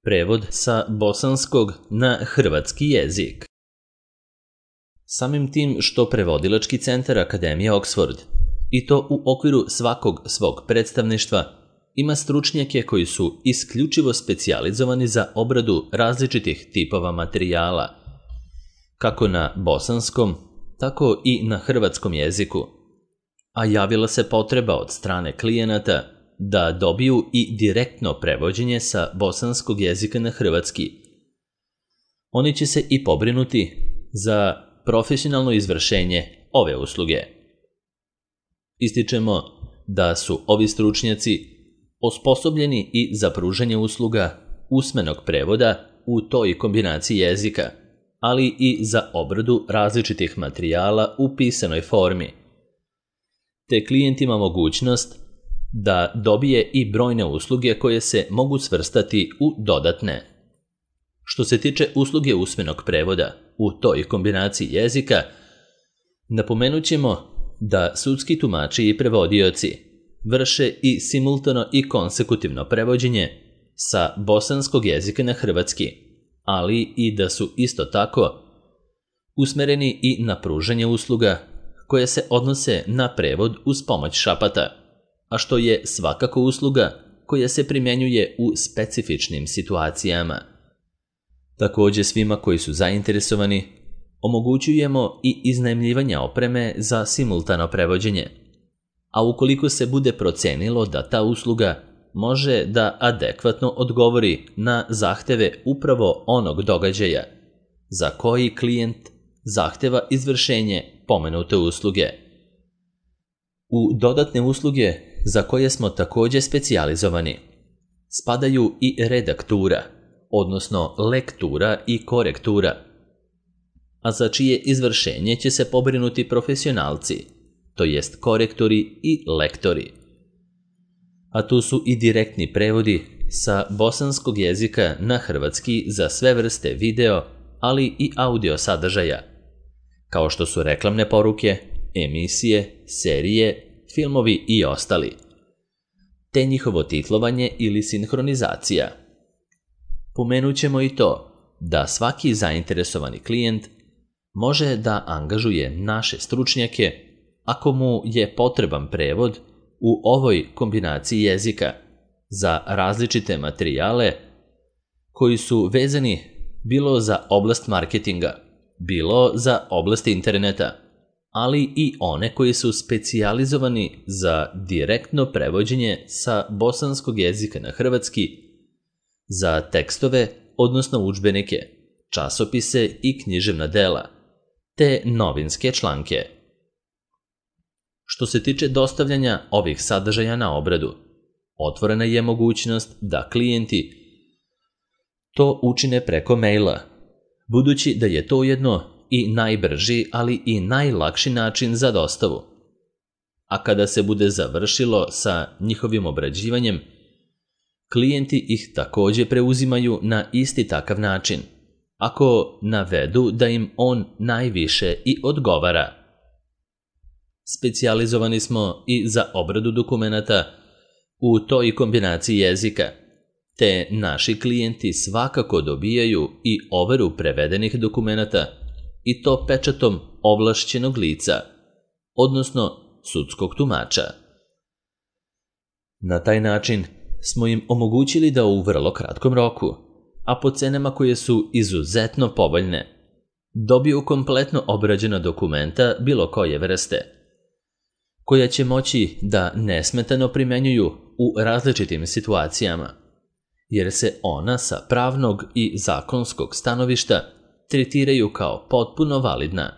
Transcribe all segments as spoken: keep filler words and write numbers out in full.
Prevod sa bosanskog na hrvatski jezik. Samim tim što Prevodilački centar Akademije Oxford, i to u okviru svakog svog predstavništva, ima stručnjake koji su isključivo specijalizovani za obradu različitih tipova materijala, kako na bosanskom, tako i na hrvatskom jeziku, a javila se potreba od strane klijenata da dobiju i direktno prevođenje sa bosanskog jezika na hrvatski. Oni će se i pobrinuti za profesionalno izvršenje ove usluge. Ističemo da su ovi stručnjaci osposobljeni i za pružanje usluga usmenog prevoda u toj kombinaciji jezika, ali i za obradu različitih materijala u pisanoj formi. Te klijent ima mogućnost da dobije i brojne usluge koje se mogu svrstati u dodatne. Što se tiče usluge usmenog prevoda u toj kombinaciji jezika, napomenut ćemo da sudski tumači i prevodioci vrše i simultano i konsekutivno prevođenje sa bosanskog jezika na hrvatski, ali i da su isto tako usmereni i na pružanje usluga koje se odnose na prevod uz pomoć šapata, a što je svakako usluga koja se primjenjuje u specifičnim situacijama. Također svima koji su zainteresovani omogućujemo i iznajmljivanje opreme za simultano prevođenje, a ukoliko se bude procenilo da ta usluga može da adekvatno odgovori na zahteve upravo onog događaja za koji klijent zahteva izvršenje pomenute usluge. U dodatne usluge za koje smo također specijalizovani spadaju i redaktura, odnosno lektura i korektura, a za čije izvršenje će se pobrinuti profesionalci, to jest korektori i lektori. A tu su i direktni prevodi sa bosanskog jezika na hrvatski za sve vrste video, ali i audio sadržaja, kao što su reklamne poruke, emisije, serije, filmovi i ostali, te njihovo titlovanje ili sinhronizacija. Pomenut ćemo i to da svaki zainteresovani klijent može da angažuje naše stručnjake ako mu je potreban prevod u ovoj kombinaciji jezika za različite materijale koji su vezani bilo za oblast marketinga, bilo za oblast interneta, ali i one koji su specijalizovani za direktno prevođenje sa bosanskog jezika na hrvatski, za tekstove, odnosno udžbenike, časopise i književna dela, te novinske članke. Što se tiče dostavljanja ovih sadržaja na obradu, otvorena je mogućnost da klijenti to učine preko maila, budući da je to ujedno i najbrži, ali i najlakši način za dostavu. A kada se bude završilo sa njihovim obrađivanjem, klijenti ih također preuzimaju na isti takav način, ako navedu da im on najviše i odgovara. Specijalizovani smo i za obradu dokumenata u toj kombinaciji jezika, te naši klijenti svakako dobijaju i overu prevedenih dokumenata, i to pečatom ovlašćenog lica, odnosno sudskog tumača. Na taj način smo im omogućili da u vrlo kratkom roku, a po cenama koje su izuzetno povoljne, dobiju kompletno obrađena dokumenta bilo koje vrste, koja će moći da nesmetano primenjuju u različitim situacijama, jer se ona sa pravnog i zakonskog stanovišta tretiraju kao potpuno validna.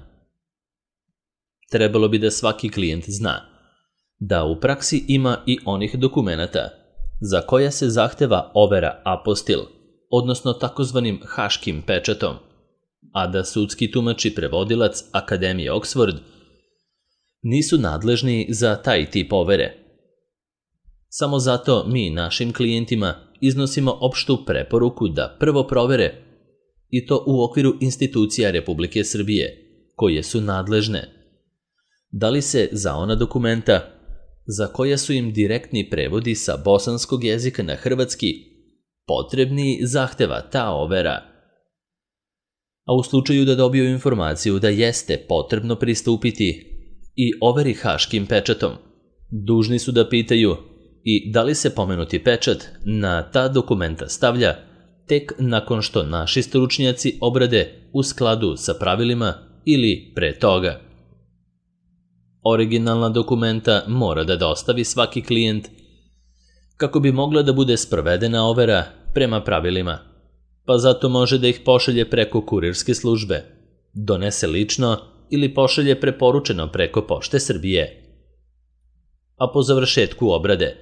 Trebalo bi da svaki klijent zna da u praksi ima i onih dokumenata za koja se zahteva overa apostil, odnosno takozvanim haškim pečatom, a da sudski tumač i prevodilac Akademije Oxford nisu nadležni za taj tip overe. Samo zato mi našim klijentima iznosimo opštu preporuku da prvo provere, i to u okviru institucija Republike Srbije, koje su nadležne, da li se za ona dokumenta za koja su im direktni prevodi sa bosanskog jezika na hrvatski potrebni zahteva ta overa. A u slučaju da dobiju informaciju da jeste potrebno pristupiti i overi haškim pečatom, dužni su da pitaju i da li se pomenuti pečat na ta dokumenta stavlja tek nakon što naši stručnjaci obrade u skladu sa pravilima ili pre toga. Originalna dokumenta mora da dostavi svaki klijent kako bi mogla da bude sprovedena overa prema pravilima, pa zato može da ih pošalje preko kurirske službe, donese lično ili pošalje preporučeno preko Pošte Srbije. A po završetku obrade,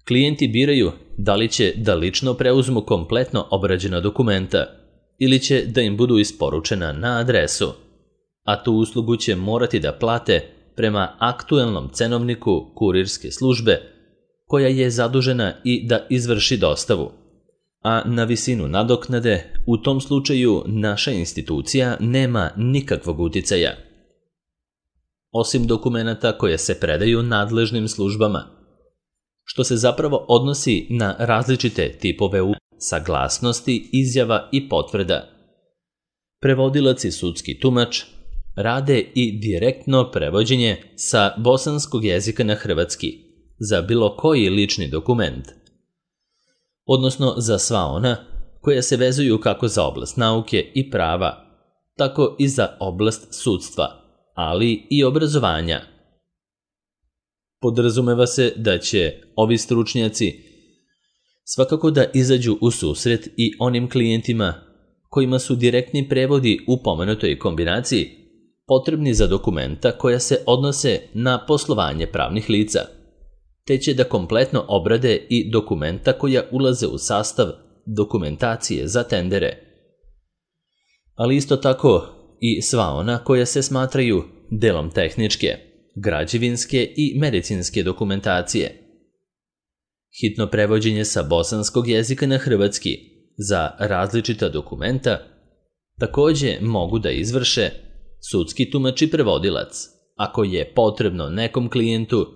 klijenti biraju da li će da lično preuzmu kompletno obrađena dokumenta ili će da im budu isporučena na adresu, a tu uslugu će morati da plate prema aktuelnom cenovniku kurirske službe koja je zadužena i da izvrši dostavu. A na visinu nadoknade u tom slučaju naša institucija nema nikakvog uticaja. Osim dokumenata koje se predaju nadležnim službama, što se zapravo odnosi na različite tipove saglasnosti, izjava i potvrda. Prevodilac i sudski tumač rade i direktno prevođenje sa bosanskog jezika na hrvatski za bilo koji lični dokument, odnosno za sva ona koja se vezuju kako za oblast nauke i prava, tako i za oblast sudstva, ali i obrazovanja. Podrazumeva se da će ovi stručnjaci svakako da izađu u susret i onim klijentima kojima su direktni prevodi u pomenutoj kombinaciji potrebni za dokumenta koja se odnose na poslovanje pravnih lica, te će da kompletno obrade i dokumenta koja ulaze u sastav dokumentacije za tendere, ali isto tako i sva ona koja se smatraju delom tehničke, građevinske i medicinske dokumentacije. Hitno prevođenje sa bosanskog jezika na hrvatski za različita dokumenta takođe mogu da izvrše sudski tumač i prevodilac, ako je potrebno nekom klijentu,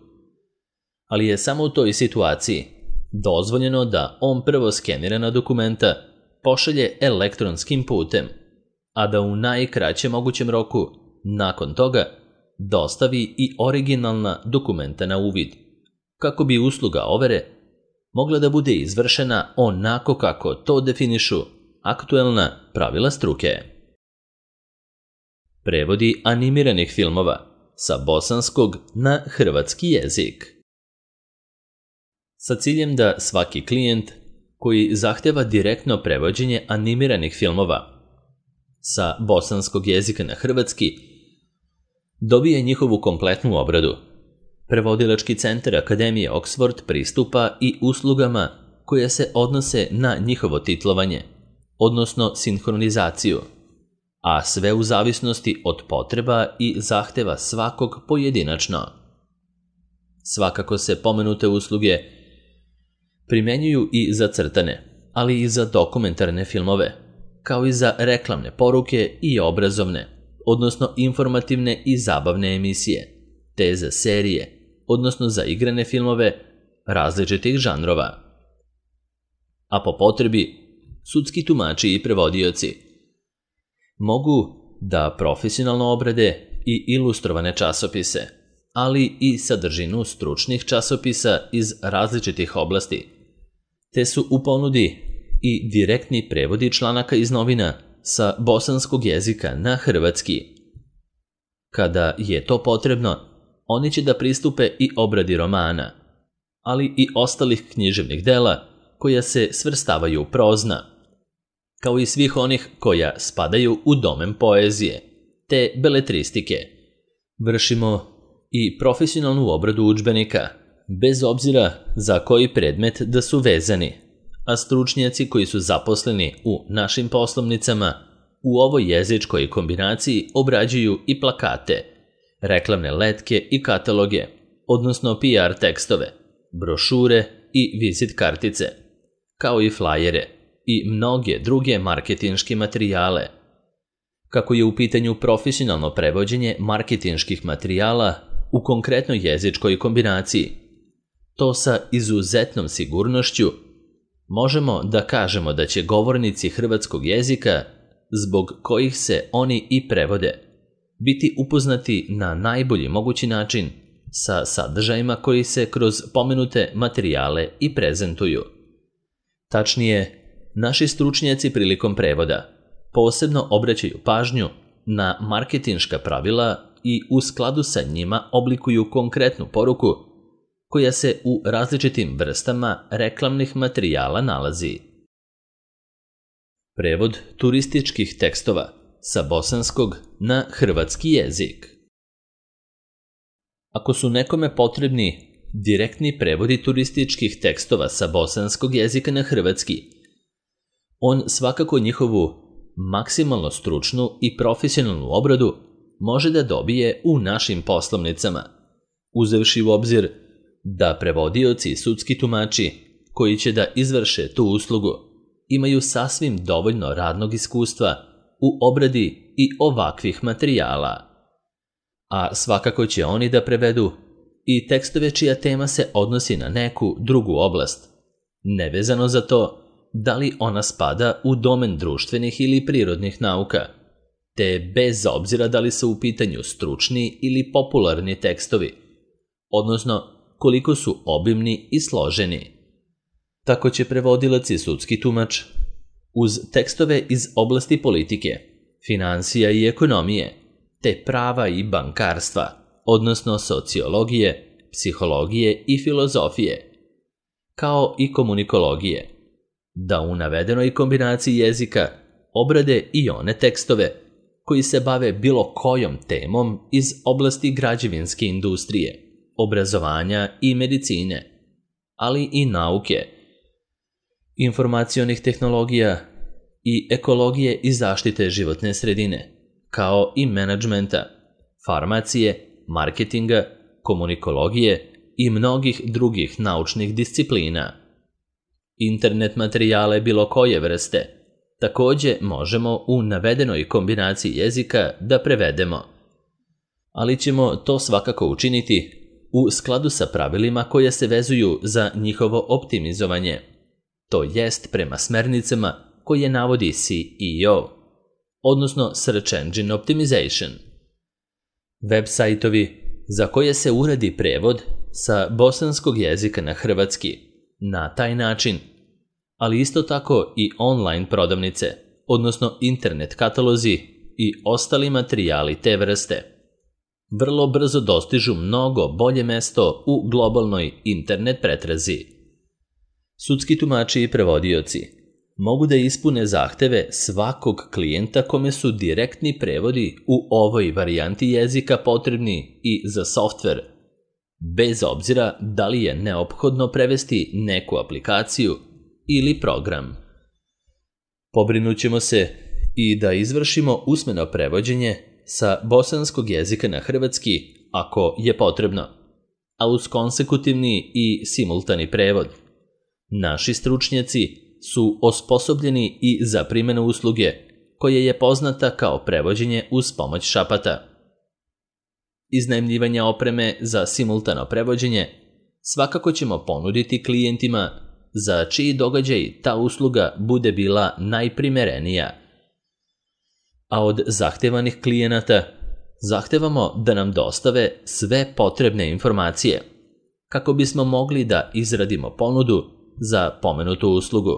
ali je samo u toj situaciji dozvoljeno da on prvo skenirana dokumenta pošalje elektronskim putem, a da u najkraćem mogućem roku nakon toga dostavi i originalna dokumenta na uvid, kako bi usluga overe mogla da bude izvršena onako kako to definišu aktuelna pravila struke. Prevodi animiranih filmova sa bosanskog na hrvatski jezik. Sa ciljem da svaki klijent koji zahteva direktno prevođenje animiranih filmova sa bosanskog jezika na hrvatski dobije njihovu kompletnu obradu, Prevodilački centar Akademije Oxford pristupa i uslugama koje se odnose na njihovo titlovanje, odnosno sinhronizaciju, a sve u zavisnosti od potreba i zahteva svakog pojedinačno. Svakako se pomenute usluge primenjuju i za crtane, ali i za dokumentarne filmove, kao i za reklamne poruke i obrazovne, odnosno informativne i zabavne emisije, te za serije, odnosno za igrane filmove različitih žanrova. A po potrebi, sudski tumači i prevodioci mogu da profesionalno obrade i ilustrovane časopise, ali i sadržinu stručnih časopisa iz različitih oblasti, te su u ponudi i direktni prevodi članaka iz novina sa bosanskog jezika na hrvatski. Kada je to potrebno, oni će da pristupe i obradi romana, ali i ostalih književnih dela koja se svrstavaju u prozna, kao i svih onih koja spadaju u domen poezije, te beletristike. Vršimo i profesionalnu obradu udžbenika, bez obzira za koji predmet da su vezani, a stručnjaci koji su zaposleni u našim poslovnicama u ovoj jezičkoj kombinaciji obrađuju i plakate, reklamne letke i kataloge, odnosno P R tekstove, brošure i vizit kartice, kao i flajere i mnoge druge marketinške materijale. Kako je u pitanju profesionalno prevođenje marketinških materijala u konkretnoj jezičkoj kombinaciji, to sa izuzetnom sigurnošću možemo da kažemo da će govornici hrvatskog jezika, zbog kojih se oni i prevode, biti upoznati na najbolji mogući način sa sadržajima koji se kroz pomenute materijale i prezentuju. Tačnije, naši stručnjaci prilikom prevoda posebno obraćaju pažnju na marketinška pravila i u skladu sa njima oblikuju konkretnu poruku koja se u različitim vrstama reklamnih materijala nalazi. Prevod turističkih tekstova sa bosanskog na hrvatski jezik. Ako su nekome potrebni direktni prevodi turističkih tekstova sa bosanskog jezika na hrvatski, on svakako njihovu maksimalno stručnu i profesionalnu obradu može da dobije u našim poslovnicama, uzevši u obzir da prevodioci i sudski tumači koji će da izvrše tu uslugu imaju sasvim dovoljno radnog iskustva u obradi i ovakvih materijala. A svakako će oni da prevedu i tekstove čija tema se odnosi na neku drugu oblast, nevezano za to da li ona spada u domen društvenih ili prirodnih nauka, te bez obzira da li su u pitanju stručni ili popularni tekstovi, odnosno koliko su obimni i složeni. Tako će prevodilac i sudski tumač uz tekstove iz oblasti politike, finansija i ekonomije, te prava i bankarstva, odnosno sociologije, psihologije i filozofije, kao i komunikologije, da u navedenoj kombinaciji jezika obrade i one tekstove koji se bave bilo kojom temom iz oblasti građevinske industrije, obrazovanja i medicine, ali i nauke, informacionih tehnologija i ekologije i zaštite životne sredine, kao i menadžmenta, farmacije, marketinga, komunikologije i mnogih drugih naučnih disciplina. Internet materijale bilo koje vrste takođe možemo u navedenoj kombinaciji jezika da prevedemo, ali ćemo to svakako učiniti u skladu sa pravilima koje se vezuju za njihovo optimizovanje, to jest prema smernicama koje navodi S E O, odnosno Search Engine Optimization. Web sajtovi za koje se uradi prevod sa bosanskog jezika na hrvatski na taj način, ali isto tako i online prodavnice, odnosno internet katalozi i ostali materijali te vrste, vrlo brzo dostižu mnogo bolje mesto u globalnoj internet pretrazi. Sudski tumači i prevodioci mogu da ispune zahteve svakog klijenta kome su direktni prevodi u ovoj varijanti jezika potrebni i za softver, bez obzira da li je neophodno prevesti neku aplikaciju ili program. Pobrinućemo se i da izvršimo usmeno prevođenje sa bosanskog jezika na hrvatski ako je potrebno, a uz konsekutivni i simultani prevod. Naši stručnjaci su osposobljeni i za primjenu usluge koja je poznata kao prevođenje uz pomoć šapata. Iznajmljivanje opreme za simultano prevođenje svakako ćemo ponuditi klijentima za čiji događaj ta usluga bude bila najprimerenija. A od zahtevanih klijenata zahtevamo da nam dostave sve potrebne informacije kako bismo mogli da izradimo ponudu za pomenutu uslugu.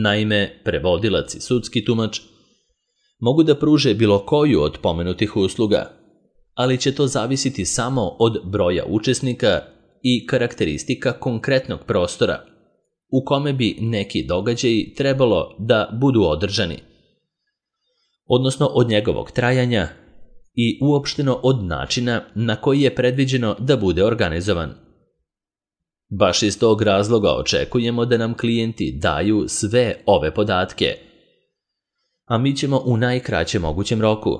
Naime, prevodilac i sudski tumač mogu da pruže bilo koju od pomenutih usluga, ali će to zavisiti samo od broja učesnika i karakteristika konkretnog prostora u kome bi neki događaji trebalo da budu održani, odnosno od njegovog trajanja i uopšteno od načina na koji je predviđeno da bude organizovan. Baš iz tog razloga očekujemo da nam klijenti daju sve ove podatke, a mi ćemo u najkraćem mogućem roku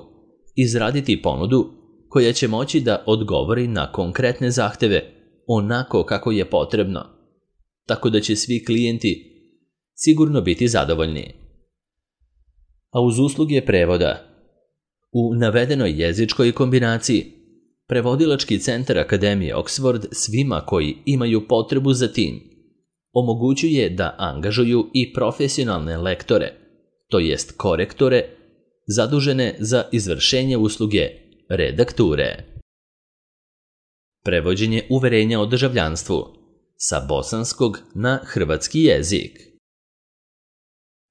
izraditi ponudu koja će moći da odgovori na konkretne zahteve onako kako je potrebno, tako da će svi klijenti sigurno biti zadovoljni. A uz usluge prevoda, u navedenoj jezičkoj kombinaciji, Prevodilački centar Akademije Oxford svima koji imaju potrebu za tim omogućuje da angažuju i profesionalne lektore, to jest korektore, zadužene za izvršenje usluge redakture. Prevođenje uverenja o državljanstvu sa bosanskog na hrvatski jezik.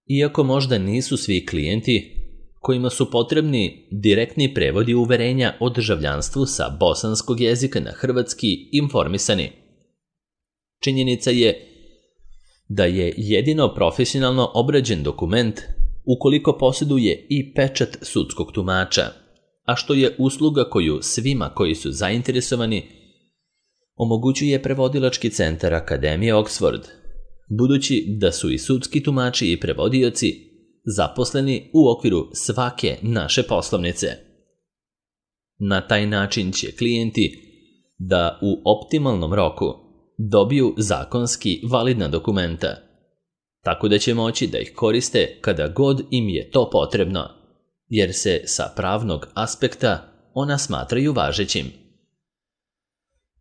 Iako možda nisu svi klijenti kojima su potrebni direktni prevodi uverenja o državljanstvu sa bosanskog jezika na hrvatski informisani, činjenica je da je jedino profesionalno obrađen dokument ukoliko posjeduje i pečat sudskog tumača, a što je usluga koju svima koji su zainteresovani omogućuje prevodilački centar Akademije Oxford, budući da su i sudski tumači i prevodioci zaposleni u okviru svake naše poslovnice. Na taj način će klijenti da u optimalnom roku dobiju zakonski validna dokumenta, tako da će moći da ih koriste kada god im je to potrebno, jer se sa pravnog aspekta ona smatraju važećim.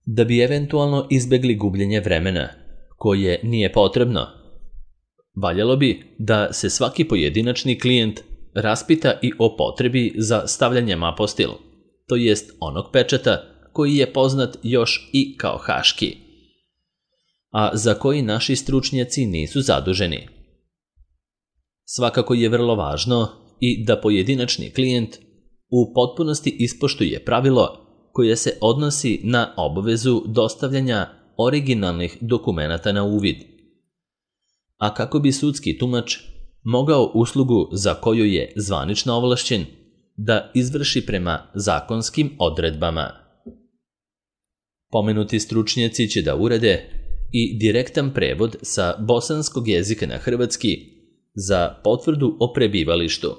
Da bi eventualno izbegli gubljenje vremena, koje nije potrebno, valjalo bi da se svaki pojedinačni klijent raspita i o potrebi za stavljanjem apostil, to jest onog pečata koji je poznat još i kao haški, a za koji naši stručnjaci nisu zaduženi. Svakako je vrlo važno i da pojedinačni klijent u potpunosti ispoštuje pravilo koje se odnosi na obavezu dostavljanja originalnih dokumenata na uvid. A kako bi sudski tumač mogao uslugu za koju je zvanično ovlašćen da izvrši prema zakonskim odredbama. Pomenuti stručnjaci će da urede i direktan prevod sa bosanskog jezika na hrvatski za potvrdu o prebivalištu,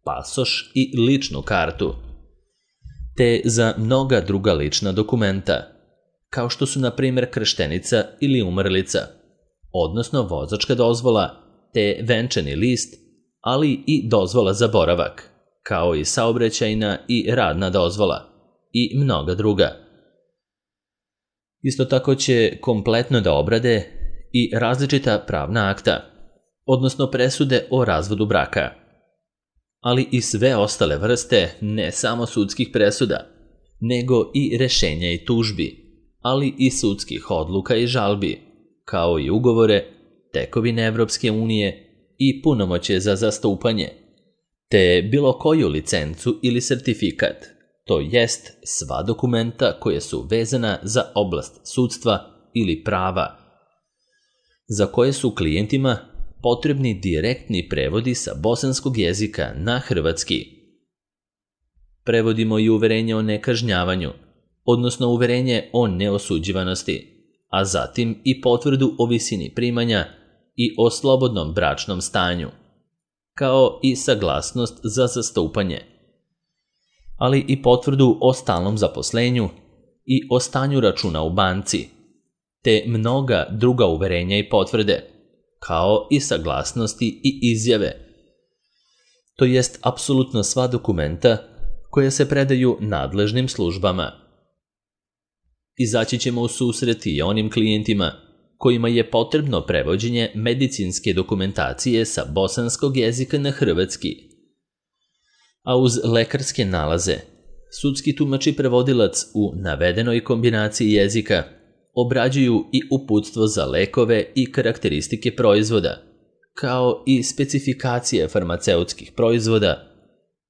pasoš i ličnu kartu, te za mnoga druga lična dokumenta, kao što su na primjer krštenica ili umrlica, odnosno vozačka dozvola, te venčani list, ali i dozvola za boravak, kao i saobraćajna i radna dozvola i mnoga druga. Isto tako će kompletno da obrade i različita pravna akta, odnosno presude o razvodu braka, ali i sve ostale vrste ne samo sudskih presuda, nego i rešenja i tužbi, ali i sudskih odluka i žalbi, kao i ugovore, tekovine Evropske unije i punomoćje za zastupanje, te bilo koju licencu ili sertifikat, to jest sva dokumenta koje su vezana za oblast sudstva ili prava, za koje su klijentima potrebni direktni prevodi sa bosanskog jezika na hrvatski. Prevodimo i uverenje o nekažnjavanju, odnosno uverenje o neosuđivanosti, a zatim i potvrdu o visini primanja i o slobodnom bračnom stanju, kao i saglasnost za zastupanje, ali i potvrdu o stalnom zaposlenju i o stanju računa u banci, te mnoga druga uverenja i potvrde, kao i saglasnosti i izjave, to jest apsolutno sva dokumenta koje se predaju nadležnim službama. Izaći ćemo u susret i onim klijentima kojima je potrebno prevođenje medicinske dokumentacije sa bosanskog jezika na hrvatski. A uz lekarske nalaze, sudski tumač i prevodilac u navedenoj kombinaciji jezika obrađuju i uputstvo za lekove i karakteristike proizvoda, kao i specifikacije farmaceutskih proizvoda,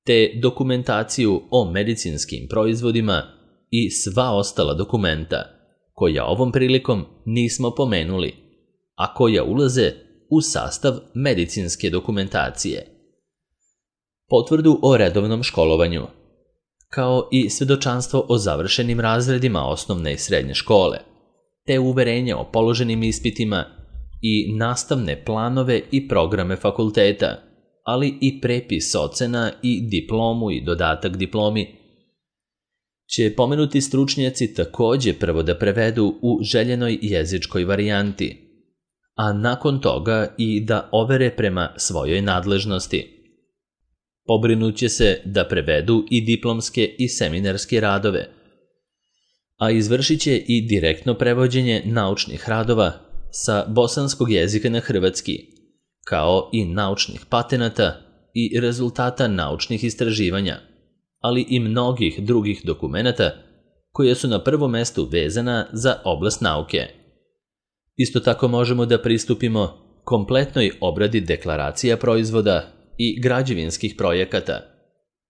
te dokumentaciju o medicinskim proizvodima i sva ostala dokumenta, koja ovom prilikom nismo pomenuli, a koja ulaze u sastav medicinske dokumentacije. Potvrdu o redovnom školovanju, kao i svedočanstvo o završenim razredima osnovne i srednje škole, te uverenje o položenim ispitima i nastavne planove i programe fakulteta, ali i prepis ocena i diplomu i dodatak diplomi, će pomenuti stručnjaci također prvo da prevedu u željenoj jezičkoj varijanti, a nakon toga i da overe prema svojoj nadležnosti. Pobrinut će se da prevedu i diplomske i seminarske radove, a izvršit će i direktno prevođenje naučnih radova sa bosanskog jezika na hrvatski, kao i naučnih patenata i rezultata naučnih istraživanja, ali i mnogih drugih dokumenata koje su na prvom mestu vezana za oblast nauke. Isto tako možemo da pristupimo kompletnoj obradi deklaracija proizvoda i građevinskih projekata,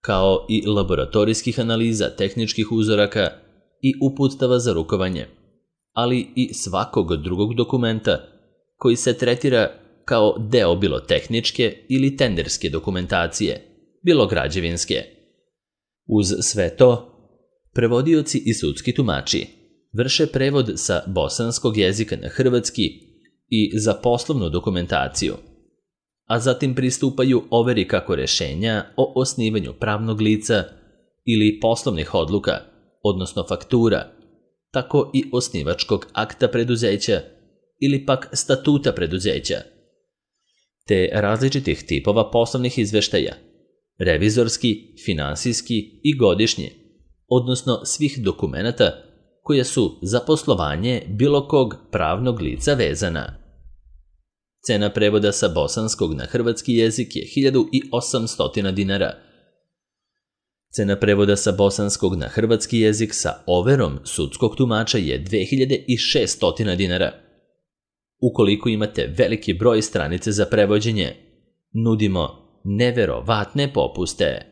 kao i laboratorijskih analiza tehničkih uzoraka i uputstava za rukovanje, ali i svakog drugog dokumenta koji se tretira kao deo bilo tehničke ili tenderske dokumentacije, bilo građevinske. Uz sve to, prevodioci i sudski tumači vrše prevod sa bosanskog jezika na hrvatski i za poslovnu dokumentaciju, a zatim pristupaju overi kako rešenja o osnivanju pravnog lica ili poslovnih odluka, odnosno faktura, tako i osnivačkog akta preduzeća ili pak statuta preduzeća, te različitih tipova poslovnih izveštaja, revizorski, finansijski i godišnji, odnosno svih dokumenata koja su za poslovanje bilo kog pravnog lica vezana. Cena prevoda sa bosanskog na hrvatski jezik je hiljadu osamsto dinara. Cena prevoda sa bosanskog na hrvatski jezik sa overom sudskog tumača je dve hiljade šesto dinara. Ukoliko imate veliki broj stranice za prevođenje, nudimo neverovatne popuste.